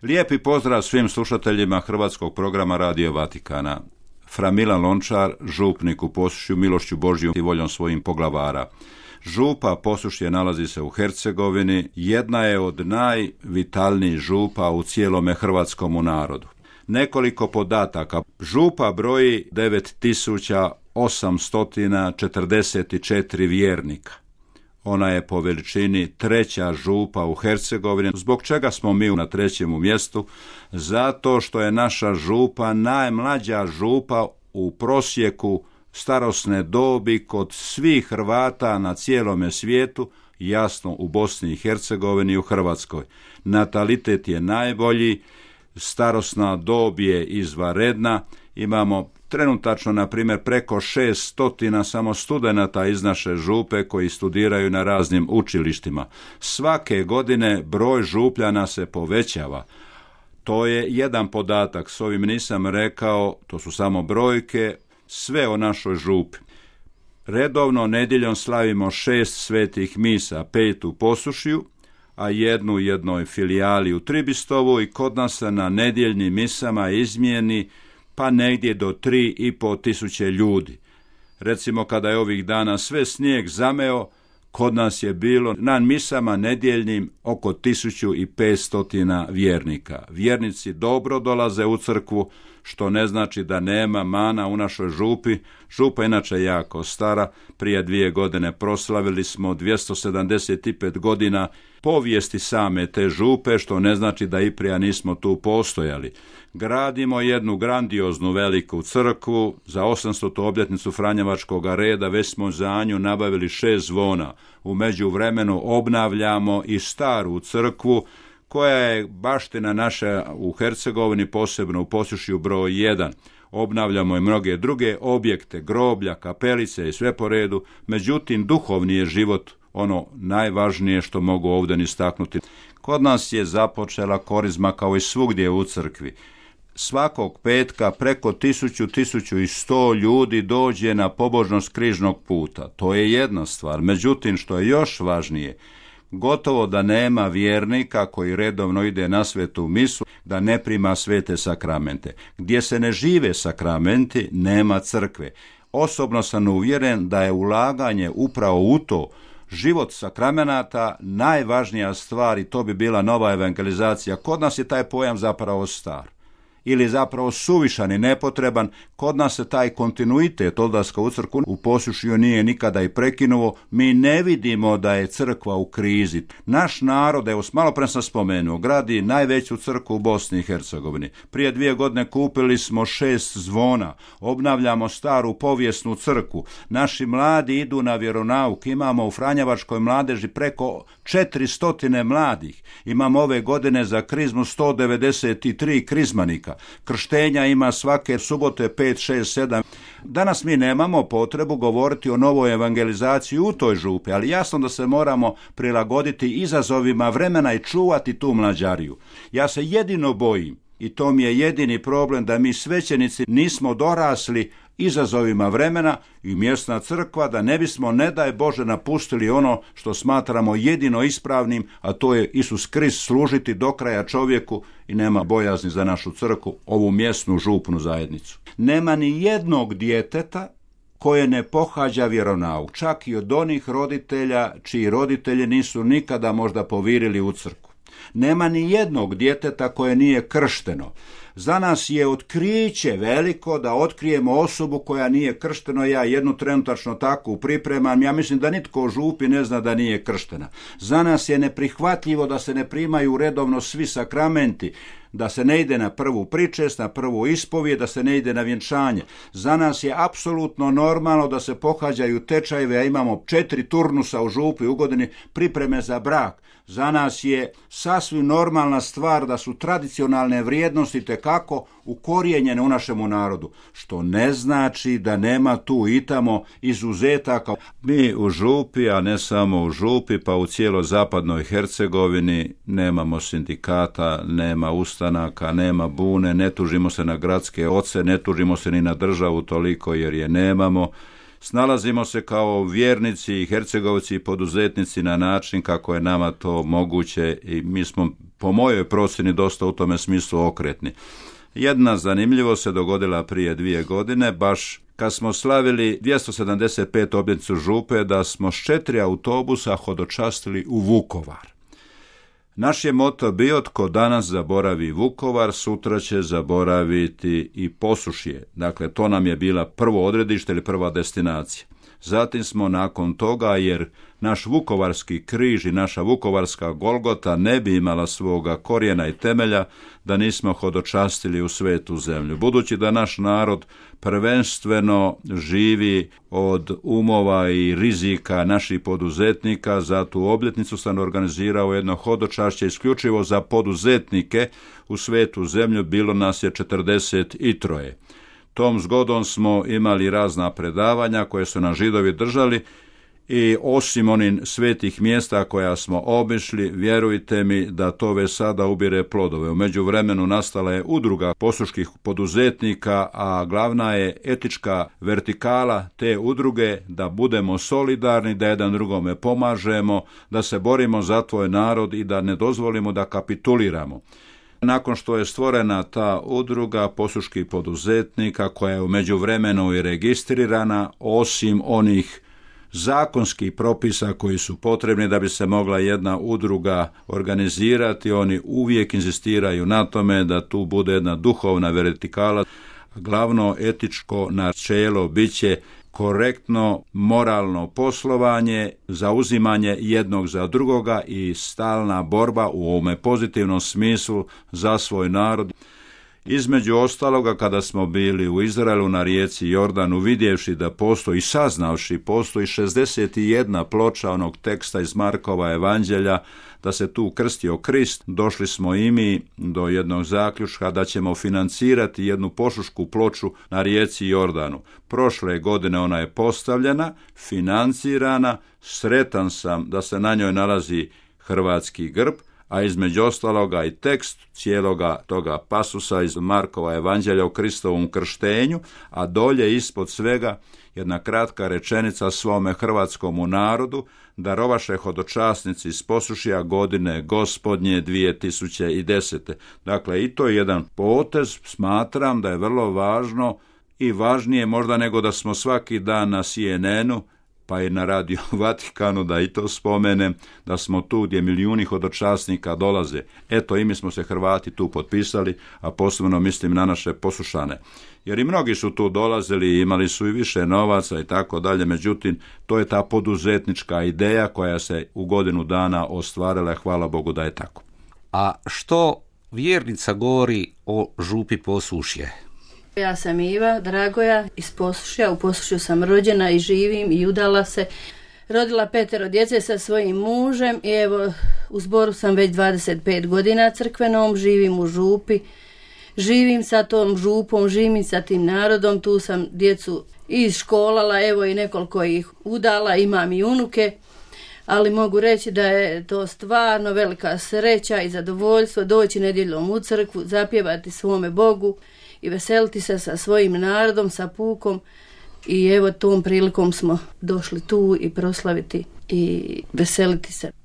Lijepi pozdrav svim slušateljima hrvatskog programa Radio Vatikana. Fra Milan Lončar, župnik u Posušju, milošću Božjom i voljom svojim poglavara. Župa Posušje nalazi se u Hercegovini, jedna je od najvitalnijih župa u cijelome hrvatskomu narodu. Nekoliko podataka. Župa broji 9844 vjernika. Ona je po veličini treća župa u Hercegovini. Zbog čega smo mi na trećem mjestu? Zato što je naša župa najmlađa župa u prosjeku starosne dobi kod svih Hrvata na cijelome svijetu, jasno u Bosni i Hercegovini i u Hrvatskoj. Natalitet je najbolji, starosna dob je izvanredna, imamo trenutačno, na primjer, preko 600 samo studenata iz naše župe koji studiraju na raznim učilištima. Svake godine broj župljana se povećava. To je jedan podatak, s ovim nisam rekao, to su samo brojke, sve o našoj župi. Redovno nedjeljom slavimo 6 svetih misa, 5 u Posušju, a jednu u jednoj filijali u Tribistovu i kod nas se na nedjeljnim misama izmijeni pa negdje do 3.500 ljudi. Recimo kada je ovih dana sve snijeg zameo, kod nas je bilo na misama nedjeljnim oko 1500 vjernika. Vjernici dobro dolaze u crkvu, što ne znači da nema mana u našoj župi. Župa je inače jako stara, prije 2 godine proslavili smo 275 godina povijesti same te župe, što ne znači da i prije nismo tu postojali. Gradimo jednu grandioznu veliku crkvu, za 800. obljetnicu Franjevačkog reda već smo za nju nabavili 6 zvona. U međuvremenu obnavljamo i staru crkvu, koja je baština naša u Hercegovini, posebno u Posušju broj 1. Obnavljamo i mnoge druge objekte, groblja, kapelice i sve po redu, međutim duhovni je život ono najvažnije što mogu ovdje istaknuti. Kod nas je započela korizma kao i svugdje u crkvi. Svakog petka preko 1100 ljudi dođe na pobožnost križnog puta. To je jedna stvar. Međutim, što je još važnije, gotovo da nema vjernika koji redovno ide na svetu misu da ne prima svete sakramente. Gdje se ne žive sakramenti, nema crkve. Osobno sam uvjeren da je ulaganje upravo u to, život sakramenata, najvažnija stvar i to bi bila nova evangelizacija. Kod nas je taj pojam zapravo star ili zapravo suvišan i nepotreban. Kod nas se taj kontinuitet odlaska u crkvu u Posušju nije nikada i prekinuo. Mi ne vidimo da je crkva u krizi. Naš narod, evo malo pre sam spomenuo, gradi najveću crkvu u Bosni i Hercegovini. Prije 2 godine kupili smo 6 zvona, obnavljamo staru povijesnu crkvu. Naši mladi idu na vjeronauk, imamo u Franjevačkoj mladeži preko 400 mladih. Imamo ove godine za krizmu 193 krizmanika. Krštenja ima svake subote 5, 6, 7. Danas mi nemamo potrebu govoriti o novoj evangelizaciji u toj župi, ali jasno da se moramo prilagoditi izazovima vremena i čuvati tu mlađariju. Ja se jedino bojim, i to mi je jedini problem, da mi svećenici nismo dorasli izazovima vremena i mjesna crkva, da ne bismo, ne daj Bože, napustili ono što smatramo jedino ispravnim, a to je Isus Krist, služiti do kraja čovjeku i nema bojazni za našu crkvu, ovu mjesnu župnu zajednicu. Nema ni jednog djeteta koje ne pohađa vjeronauk, čak i od onih roditelja čiji roditelji nisu nikada možda povirili u crkvu. Nema ni jednog djeteta koje nije kršteno. Za nas je otkriće veliko da otkrijemo osobu koja nije krštena. Ja jednu trenutačno takvu pripremam. Ja mislim da nitko u župi ne zna da nije krštena. Za nas je neprihvatljivo da se ne primaju redovno svi sakramenti, da se ne ide na prvu pričest, na prvu ispovijed, da se ne ide na vjenčanje. Za nas je apsolutno normalno da se pohađaju tečajeve, a imamo 4 turnusa u župi u godini, pripreme za brak. Za nas je sasvim normalna stvar da su tradicionalne vrijednosti tekako ukorijenjene u našemu narodu, što ne znači da nema tu i tamo izuzetaka. Mi u župi, a ne samo u župi, pa u cijeloj zapadnoj Hercegovini nemamo sindikata, nema ustanaka, nema bune, ne tužimo se na gradske oce, ne tužimo se ni na državu toliko jer je nemamo. Snalazimo se kao vjernici i hercegovci i poduzetnici na način kako je nama to moguće i mi smo po mojoj procjeni dosta u tome smislu okretni. Jedna zanimljivost se dogodila prije 2 godine, baš kad smo slavili 275 obljetnicu župe, da smo s 4 autobusa hodočastili u Vukovar. Naš je moto bio: tko danas zaboravi Vukovar, sutra će zaboraviti i Posušje. Dakle, to nam je bila prvo odredište ili prva destinacija. Zatim smo nakon toga, jer naš vukovarski križ i naša vukovarska Golgota ne bi imala svoga korijena i temelja da nismo hodočastili u svetu zemlju. Budući da naš narod prvenstveno živi od umova i rizika naših poduzetnika, za tu obljetnicu sam organizirao jedno hodočašće isključivo za poduzetnike u svetu zemlju, bilo nas je 43. Tom zgodom smo imali razna predavanja koje su nam Židovi držali i osim onih svetih mjesta koja smo obišli, vjerujte mi da to već sada ubire plodove. U međuvremenu nastala je udruga posuških poduzetnika, a glavna je etička vertikala te udruge da budemo solidarni, da jedan drugome pomažemo, da se borimo za tvoj narod i da ne dozvolimo da kapituliramo. Nakon što je stvorena ta udruga posuških poduzetnika koja je u međuvremenu i registrirana, osim onih zakonskih propisa koji su potrebni da bi se mogla jedna udruga organizirati, oni uvijek inzistiraju na tome da tu bude jedna duhovna vertikala. Glavno etičko načelo biće korektno moralno poslovanje, zauzimanje jednog za drugoga i stalna borba u ovome pozitivnom smislu za svoj narod. Između ostaloga, kada smo bili u Izraelu na rijeci Jordanu, vidjevši da postoji, saznavši postoji 61 ploča onog teksta iz Markova evanđelja, da se tu krstio Krist, došli smo i mi do jednog zaključka da ćemo financirati jednu posušku ploču na rijeci Jordanu. Prošle godine ona je postavljena, financirana, sretan sam da se na njoj nalazi hrvatski grb, a između ostaloga i tekst cijeloga toga pasusa iz Markova evanđelja o Kristovom krštenju, a dolje ispod svega jedna kratka rečenica svome hrvatskomu narodu: darovaše hodočasnici iz Posušja godine Gospodnje 2010. Dakle, i to je jedan potez, smatram da je vrlo važno i važnije možda nego da smo svaki dan na CNN-u, pa i na Radio Vatikanu, da i to spomenem, da smo tu gdje milijuni hodočasnika dolaze. Eto, i mi smo se Hrvati tu potpisali, a posebno mislim na naše Posušane. Jer i mnogi su tu dolazili, imali su i više novaca i tako dalje, međutim, to je ta poduzetnička ideja koja se u godinu dana ostvarila, hvala Bogu da je tako. A što vjernica govori o župi Posušje? Ja sam Iva Dragoja iz Posušja, u Posušju sam rođena i živim i udala se. Rodila 5 djece sa svojim mužem i evo u zboru sam već 25 godina crkvenom, živim u župi, živim sa tom župom, živim sa tim narodom, tu sam djecu iškolala, evo i nekoliko ih udala, imam i unuke, ali mogu reći da je to stvarno velika sreća i zadovoljstvo doći nedjeljom u crkvu, zapjevati svome Bogu i veseliti se sa svojim narodom, sa pukom, i evo tom prilikom smo došli tu i proslaviti i veseliti se.